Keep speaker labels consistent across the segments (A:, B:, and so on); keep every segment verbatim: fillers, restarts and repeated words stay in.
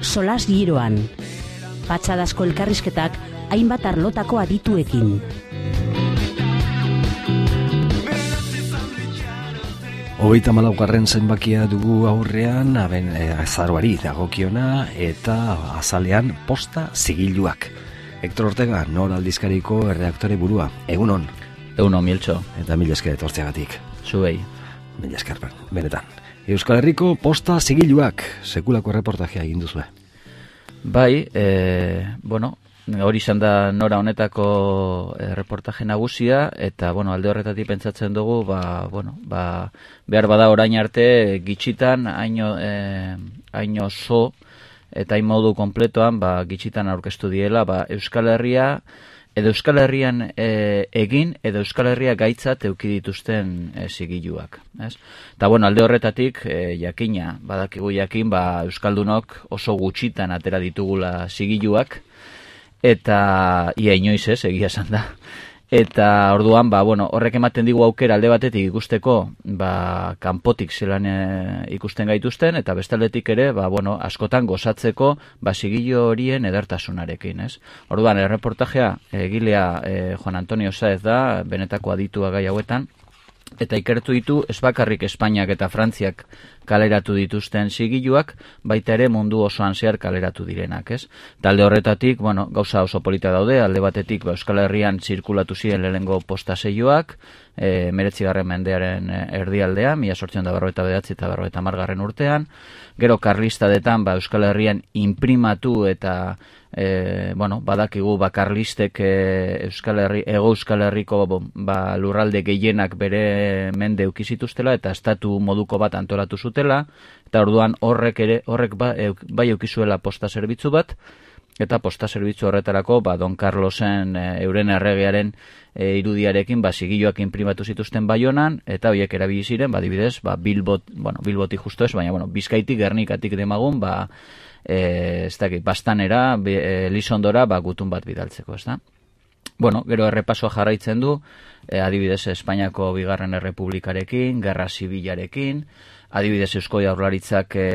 A: solas giroan. Patxadazko elkarrizketak hainbat arlotako adituekin.
B: Hogeita malaugarren zenbakia dugu aurrean, aben e, azaroari dagokiona eta azalean posta zigiluak. Hector Ortega, Nor aldizkariko erredaktore burua. Egunon.
C: Egunon, Mieltxo.
B: Eta mila esker etortzeagatik.
C: Zuei.
B: Mila esker, benetan. Euskal Herriko posta zigiluak, sekulako reportajea egin duzue.
C: Bai, e, bueno, hori izan da Nora honetako e, reportaje nagusia, eta, bueno, alde horretatik pentsatzen dugu, ba, bueno, ba, behar bada orain arte gitxitan, haino, e, haino zo, eta hain modu kompletoan, ba, gitxitan aurkeztu diela, ba, Euskal Herria, edo Euskal Herrian e, egin, edo Euskal Herria gaitzat euki dituzten e, zigiluak. Eta, bueno, alde horretatik, e, jakina, badakigu jakin, ba, Euskaldunok oso gutxitan atera ditugula zigiluak, eta ia inoiz ez, egia esan da. Eta orduan, ba, bueno, horrek ematen digu aukera alde batetik ikusteko, ba, kanpotik zelan e, ikusten gaituzten, eta bestaldetik ere, ba, bueno, askotan gozatzeko, ba, zigilu horien edertasunarekin, ez? Orduan, erreportajea egilea e, Juan Antonio Saez da, benetako aditua gai hauetan, eta ikertu ditu ez bakarrik Espainiak eta Frantziak kaleratu dituzten zigiluak, baita ere mundu osoan zehar kaleratu direnak, ez? Talde horretatik, bueno, gauza oso polita daude, alde batetik ba, Euskal Herrian zirkulatu ziren lehenengo posta saioak, e, meretzigarren mendearen erdialdean, mila zortziehun eta berrogeita bederatzi eta berrogeita hamargarren urtean, gero karlistadetan ba, Euskal Herrian inprimatu eta E, bueno, badakigu bakarlistek e, Euskal Herri, Ego Euskal Herriko ba, lurralde gehienak bere mende eukizituztela eta estatu moduko bat antolatu zutela, eta orduan horrek ere horrek ba, e, bai eukizuela posta zerbitzu bat, eta posta zerbitzu horretarako ba, Don Carlosen e, euren erregearen e, irudiarekin ba, zigiluak inprimatu zituzten Baionan, eta horiek erabili ziren, ba, adibidez, ba, Bilbot, bueno, Bilbotik justo ez, baina bueno, Bizkaitik, Gernikatik demagun, ba, E, ez dakit, Bastanera, e, Lisondora, ba, gutun bat bidaltzeko, ez da? Bueno, gero errepasoa jarraitzen du, e, adibidez Espainiako bigarren errepublikarekin, gerra zibilarekin, adibidez Eusko Jaurlaritzak e,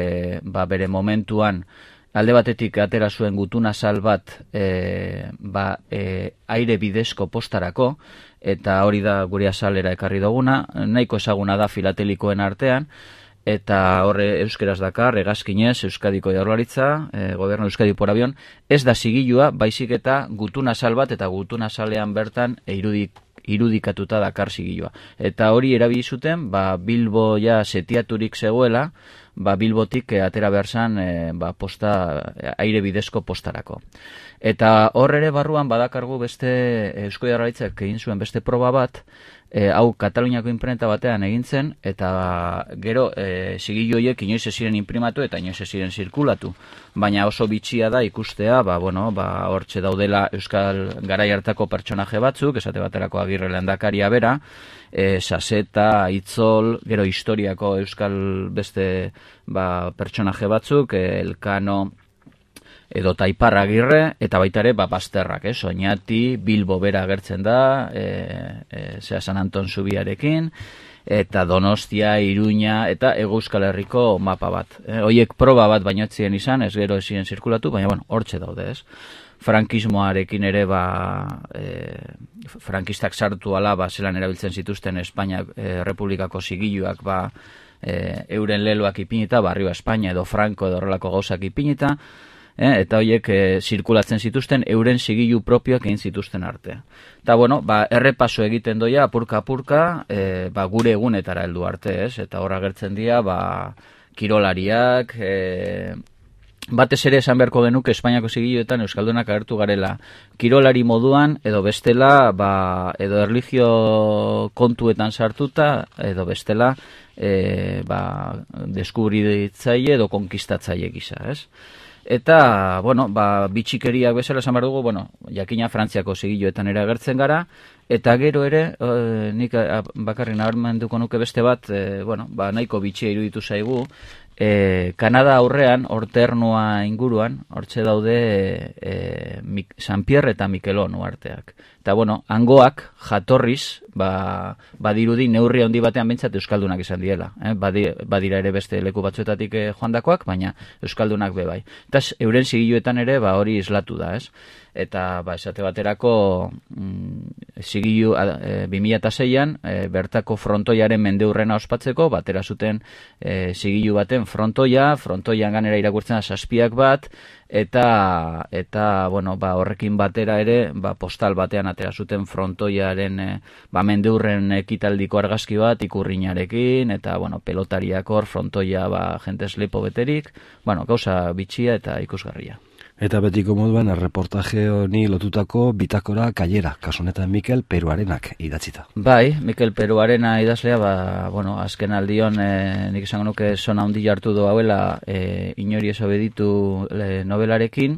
C: ba, bere momentuan, alde batetik atera zuen gutun azal bat e, ba, e, aire bidezko postarako, eta hori da gure azalera ekarri duguna, nahiko ezaguna da filatelikoen artean, eta horre euskeraz dakar, hegazkinez, Euskadiko Jaurlaritza, e, Gobernu Euskadi por avión, ez da zigilua, baizik eta gutun azal bat, eta gutun azalean bertan e, irudik, irudikatuta dakar zigilua. Eta hori erabili zuten, ba, Bilbo ja setiaturik zegoela, ba, Bilbotik e, atera behar zan, e, ba, posta, aire bidezko postarako. Eta hor ere barruan badakargu beste Eusko Jaurlaritzak egin zuen beste proba bat, E, hau Kataluniako imprenta batean egin zen, eta gero e, zigilu horiek inoiz ez ziren inprimatu eta inoiz ez ziren zirkulatu. Baina oso bitxia da ikustea, ba, bueno, ba, hortxe daudela Euskal garai hartako pertsonaje batzuk, esate baterako Agirre lehendakaria bera, e, Saseta, Itzol, gero historiako Euskal beste ba, pertsonaje batzuk, e, Elkano, edo Taipar Agirre, eta baita ere ba, Basterrak, eh? Oñati, Bilbo bera agertzen da, e, e, zera San Anton Zubiarekin, eta Donostia, Iruña, eta Ego Euskal Herriko mapa bat. E, Hoiek proba bat baino ez ziren izan, ez gero ez ziren zirkulatu, baina bueno, hortxe daude, ez? Frankismoarekin ere, ba, e, frankistak sartu ala, ba, zelan erabiltzen zituzten Espainia e, Republikako zigiluak, ba, e, euren leloak ipinita, barrio Espainia edo Franco edo horrelako gauzak ipinita, Eh, eta horiek e, zirkulatzen zituzten euren zigilu propioak egin zituzten arte. Eta bueno, ba, errepaso egiten doia apurka-apurka e, ba, gure egunetara heldu arte, ez? Eta horra gertzen dira ba, kirolariak, e, batez ere esan beharko genuke Espainiako zigiluetan euskaldunak agertu garela kirolari moduan, edo bestela ba, edo erlijio kontuetan sartuta, edo bestela e, ba, deskubritzaile edo konkistatzaile gisa, ez? Eta, bueno, ba, bitxikeriak bezala esan behar dugu, bueno, jakina Frantziako zigiluetan ere agertzen gara, eta gero ere, e, nik bakarrik nabarmenduko nuke beste bat, e, bueno, ba, nahiko bitxia iruditu zaigu, E, Kanada aurrean, Orternua inguruan, hortxe daude e, e, San Pierre eta Mikelon uarteak. Eta, bueno, hangoak jatorriz, ba, badirudi neurri handi batean bintzat Euskaldunak izan diela. Eh? Badi, badira ere beste leku batzuetatik eh, joandakoak, baina Euskaldunak be bai. Eta euren zigiluetan ere ba, hori islatu da, ez? Eta ba, esate baterako mm, zigilu e, bi mila seian e, bertako frontoiaren mendeurrena ospatzeko, batera zuten e, zigilu baten frontoia, frontoian ganera irakurtzen da zazpiak bat, eta eta bueno, ba, horrekin batera ere ba, postal batean atera zuten frontoiaren e, ba, mendeurren ekitaldiko argazki bat ikurrinarekin, eta bueno, pelotariak hor frontoia ba, jentez lepo beterik, bueno, gauza bitxia eta ikusgarria.
B: Eta betiko moduan, erreportaje honi lotutako bitakora kailera, kasunetan Mikel Peruarenak idatzita.
C: Bai, Mikel Peruarena idazlea, ba, bueno, azken aldion, e, nik esango nuke zona handi hartu do hauela e, inori esobeditu e, novelarekin,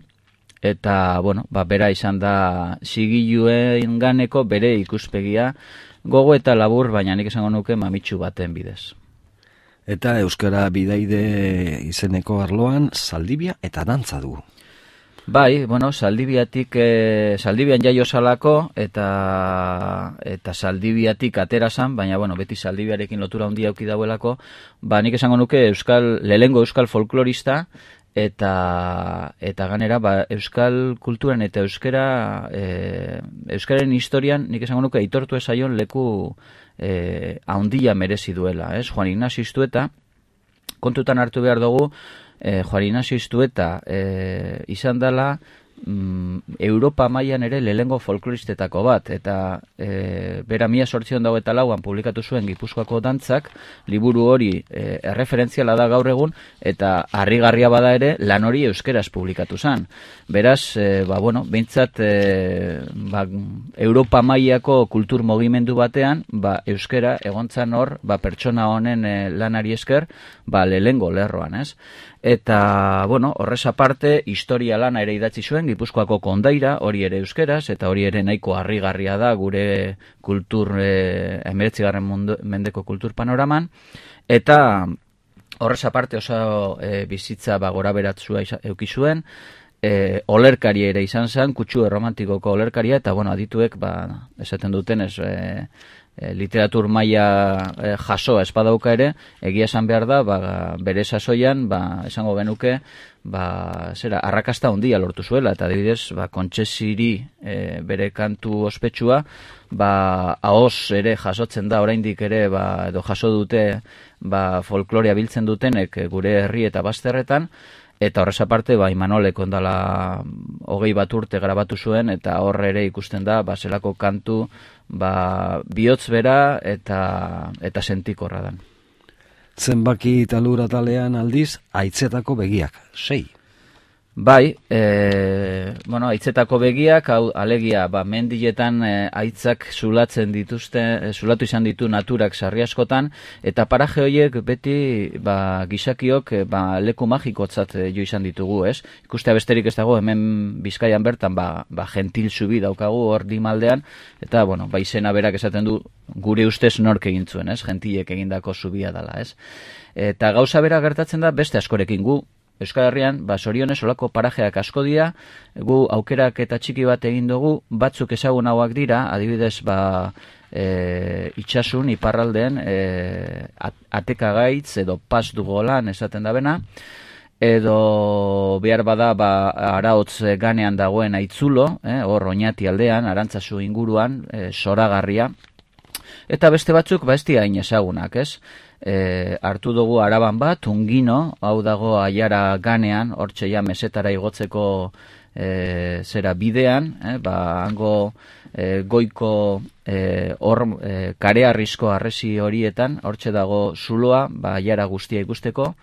C: eta, bueno, ba, bera izan da zigiluen ganeko bere ikuspegia, gogo eta labur, baina nik esango nuke mamitsu baten bidez.
B: Eta Euskara bidaide izeneko arloan, Zaldibia eta dantza dugu.
C: Bai, bueno, Zaldibiatik, e, Zaldibian jaio salako, eta eta Zaldibiatik atera zan, baina, bueno, beti Zaldibiarekin lotura handia auki dauelako, ba, nik esango nuke euskal, lehengo euskal folklorista, eta eta ganera, ba, euskal kulturan eta euskara, e, euskaren historian, nik esango nuke aitortu ezaion leku e, handia merezi duela, ez? Juan Ignacio Iztueta, kontutan hartu behar dugu, Eh, Juan Ignacio Iztueta eh, izan dela mm, Europa mailan ere lehengo folkloristetako bat, eta eh, bera mila sortzion dago eta lauan publikatu zuen Gipuzkoako dantzak, liburu hori eh, erreferentziala da gaur egun, eta harrigarria bada ere lan hori euskeraz publikatu zen. Beraz, eh, ba, bueno, behintzat eh, ba, Europa mailako kultur mugimendu batean, ba, euskera egontzan hor, ba, pertsona honen eh, lanari esker, ba, lehengo lerroan, ez? Eta, bueno, horrez aparte, historia lana ere idatzi zuen, Gipuzkoako kondaira, hori ere euskeraz, eta hori ere nahiko harrigarria da gure kultur, eh, hemeretzigarren mendeko kultur panoraman, eta horrez aparte oso eh, bizitza ba, gora beratzua euki zuen, eh, olerkari ere izan zen, kutsu erromantikoko olerkaria, eta, bueno, adituek, ba, esaten duten, ez... Eh, E, literatur maila e, jasoa espadauka ere, egia esan behar da, ba, bere sasoian, ba, esango genuke, ba, zera, arrakasta handia lortu zuela, eta adibidez, ba, Kontsesiri e, bere kantu ospetsua, ba, ahoz ere jasotzen da, oraindik ere, ba, edo jaso dute, ba, folklorea biltzen dutenek gure herri eta bazterretan, eta horrez aparte, ba, Imanolek ondala hogei bat urte grabatu zuen, eta horre ere ikusten da, ba, zelako kantu, ba, bihotz bera eta eta sentikorra dan.
B: Zenbaki talura talean aldiz, Aitzetako begiak, sei.
C: Bai, e, bueno, Aitzetako begiak, hau, alegia, ba, mendiletan e, aitzak zulatzen dituzte, e, zulatu izan ditu naturak sarri askotan, eta paraje horiek beti, ba, gizakiok, e, ba, leku magikotzat e, jo izan ditugu, ez? Ikustea besterik ez dago, hemen Bizkaian bertan, ba, ba gentil zubi daukagu hor dimaldean, eta, bueno, ba, izena berak esaten du, gure ustez nork egin zuen, ez? Gentilek egindako zubia dela, ez? Eta gauza bera gertatzen da, beste askorekin gu, Euskal Herrian, ba, sorionez olako parajeak asko dira, gu aukerak eta txiki bat egin dugu, batzuk ezagun hauak dira, adibidez, ba, e, itxasun, iparraldean, e, atekagaitz edo pas dugolan esaten da bena, edo behar bada, ba, araotz ganean dagoen aitzulo, eh, hor Oñati aldean, Arantzazu inguruan, e, zoragarria, eta beste batzuk, ba, ez dira hain ezagunak, ez? E, hartu dugu Araban bat, Ungino, hau dago Aiara ganean, hortxe ja mesetara igotzeko e, zera bidean, eh, ba, hango e, goiko e, hor e, karearrizko arresi horietan, hortxe dago zuloa, ba, Aiara guztia ikusteko.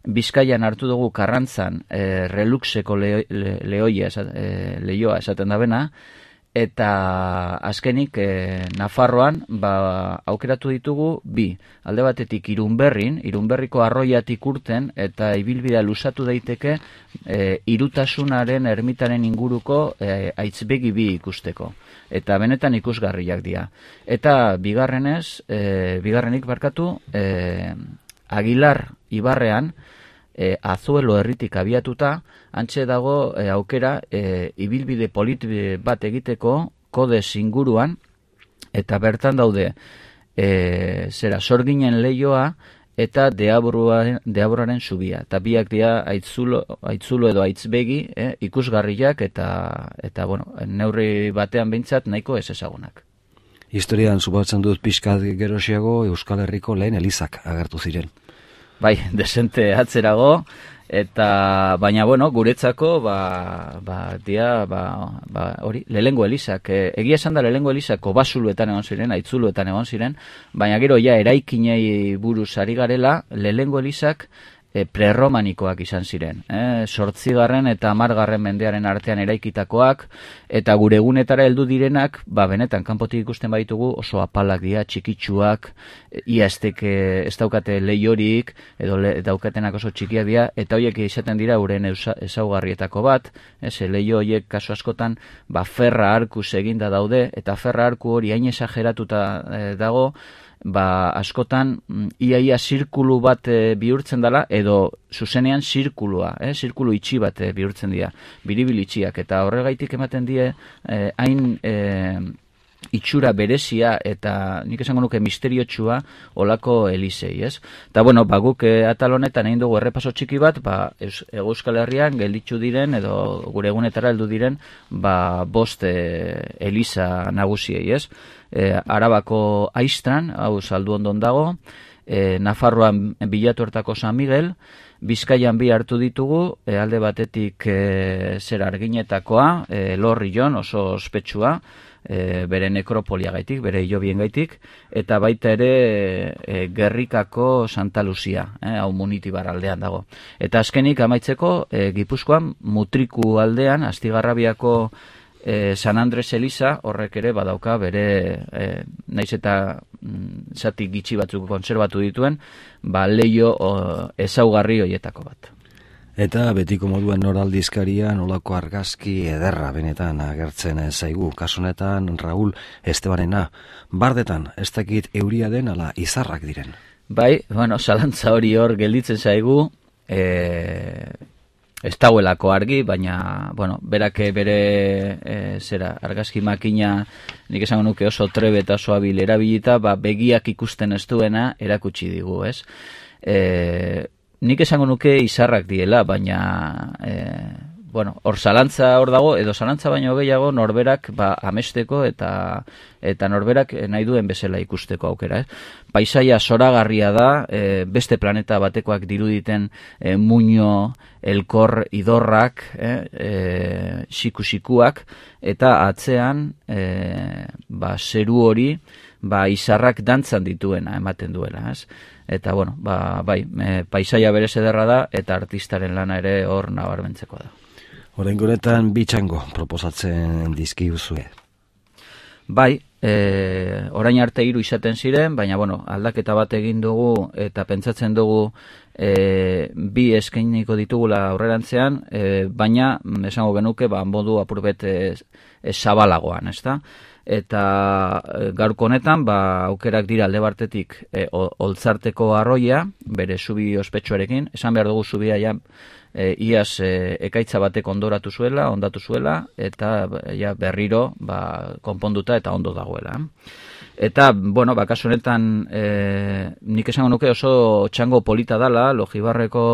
C: Bizkaian hartu dugu Karrantzan e, Reluxeko le, le, leoia, esat, e, leioa esaten da bena, eta azkenik e, Nafarroan ba, aukeratu ditugu bi, alde batetik Irunberrin, Irunberriko arroiatik urten eta ibilbidea luzatu daiteke e, irutasunaren ermitaren inguruko e, aitzbegi bi ikusteko, eta benetan ikusgarriak dira. Eta bigarrenez, e, bigarrenik barkatu, e, Aguilar Ibarrean e, Azuelo herritik abiatuta, antxe dago e, aukera e, ibilbide polit bat egiteko Kodes inguruan, eta bertan daude e, zera Sorginen leioa eta Deaburuaren, Deaburaren zubia. Eta biak dira aitzulo, aitzulo edo aitzbegi eh, ikusgarriak eta, eta bueno, neurri batean behintzat nahiko ez ezagunak.
B: Historian subatzen dut pixkat gerosiago Euskal Herriko lehen elizak agertu ziren.
C: Bai, desente atzerago, eta baina bueno, guretzako ba, ba, dia, ba, ba, hori, lehengo elizak, e, egia esan da lehengo elizako basuluetan egon ziren, aitzuluetan egon ziren, baina gero ja eraikinei buruz ari garela, lehengo elizak e, prerromanikoak izan ziren. E, sortzigarren eta hamargarren mendearen artean eraikitakoak, eta gure egunetara heldu direnak, ba benetan kanpotik ikusten baitugu oso apalak dira, txikitsuak, ia esteke ez daukate leiorik, edo le, daukatenak oso txikiak dira, eta horiek izaten dira uren ezaugarrietako bat, ez, leio horiek kasu askotan, ba ferra arkuz eginda daude, eta ferra arku hori hain esageratuta e, dago, ba askotan iaia zirkulu bat e, bihurtzen dela, edo zuzenean zirkulua, eh, zirkulu itxi bat e, bihurtzen dira, biribil itxiak, eta horregaitik ematen die e, hain e, itxura berezia eta nik esango nuke misteriotsua olako elizei, ez? Eta bueno, ba guk e, atal honetan egin dugu errepaso txiki bat, ba Euskal Herrian gelditzu diren edo gure egunetara heldu diren, ba bost e, eliza nagusiei, ez? E, Arabako Aistran, hau Zalduondon dago, e, Nafarroan Bilatu Hortako San Miguel, Bizkaian bi hartu ditugu, e, alde batetik e, zer Arginetakoa, e, Lorrion oso ospetsua, e, bere nekropoliagaitik, bere hilobien gaitik, eta baita ere e, Gerrikako Santa Lucia, e, hau Munitibar aldean dago. Eta azkenik amaitzeko, e, Gipuzkoan Mutriku aldean, Astigarrabiako E, San Andres Eliza horrek ere badauka bere e, naiz eta mm, zati gitxi batzuk kontserbatu dituen, ba leio o, ezaugarri hoietako bat.
B: Eta betiko moduan noraldizkaria nolako argazki ederra benetan agertzen zaigu, kasunetan Raúl Estebanena, bardetan ez dakit euria den ala izarrak diren.
C: Bai, bueno, zalantza hori hor gelditzen zaigu, e, ez dagoelako argi, baina, bueno, berak bere e, zera, argazki makina, nik esango nuke oso trebe eta oso abil erabilita, ba, begiak ikusten ez duena erakutsi digu, ez? E, nik esango nuke izarrak diela, baina, e, bueno, hor zalantza hor dago, edo zalantza baino gehiago norberak ba, amesteko eta eta norberak nahi duen bezala ikusteko aukera. Eh? Paisaia zoragarria da, e, beste planeta batekoak diruditen e, muño, elkor, idorrak, eh? e, siku-sikuak, eta atzean e, ba, zeru hori ba, izarrak dantzan dituena ematen duela. Ez? Eta, bueno, ba, bai, e, paisaia berez ederra da, eta artistaren lana ere hor nabarmentzeko da.
B: Oraingonetan bitxango proposatzen dizkiguzue.
C: Bai, e, orain arte hiru izaten ziren, baina bueno, aldaketa bat egin dugu eta pentsatzen dugu e, bi eskainiko ditugula aurrerantzean, e, baina esango genuke ba modu apurbet e, e, zabalagoan, ezta? Eta e, gaurko honetan ba aukerak dira alde batetik e, Oltzarteko arroia, bere zubi ospetsuarekin, esan behar dugu zubia ja E, iaz e, ekaitza batek ondoratu zuela, ondatu zuela, eta ja, berriro ba, konponduta eta ondo dagoela. Eta, bueno, bakasu honetan, e, nik esango nuke oso txango polita dala, Logibarreko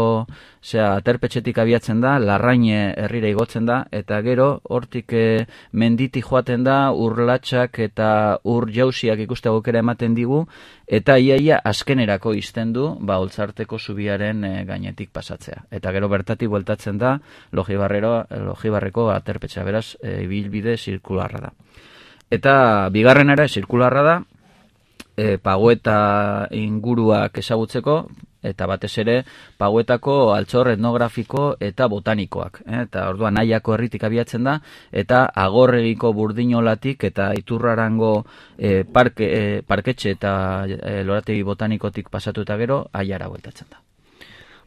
C: zera, aterpetxetik abiatzen da, Larraine herrira igotzen da, eta gero, hortik e, menditi joaten da, urlatxak eta ur jauziak ikuste aukera ematen digu, eta iaia azkenerako izten du, ba, Oltzarteko zubiaren e, gainetik pasatzea. Eta gero bertatik bueltatzen da, Logibarreko aterpetxea, beraz, e, ibilbide zirkularra da. Eta bigarren ere zirkularra da, e, Pagoeta inguruak ezagutzeko, eta batez ere Pagoetako altxor etnografiko eta botanikoak. Eh? Eta orduan Nahiako herritik abiatzen da, eta Agorregiko Burdinolatik eta Iturrarango e, parke, e, parketxe eta e, lorategi botanikotik pasatu eta gero Aiara bueltatzen da.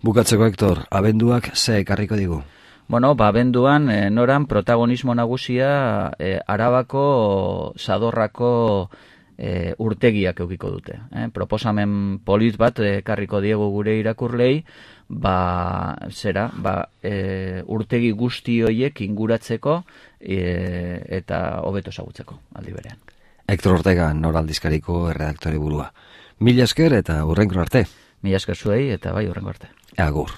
B: Bukatzeko, Hector, abenduak ze ekarriko digu?
C: Bueno, ba, abenduan, e, noran protagonismo nagusia e, Arabako Zadorrako e, urtegiak eukiko dute. Eh? Proposamen polit bat ekarriko diegu gure irakurlei, ba, zera, ba, e, urtegi guzti horiek inguratzeko e, eta hobeto ezagutzeko aldi berean.
B: Hector Ortega, Nor aldizkariko erredaktore burua. Mila esker eta hurrengo arte.
C: Mila esker zuei eta bai hurrengo arte.
B: Agur.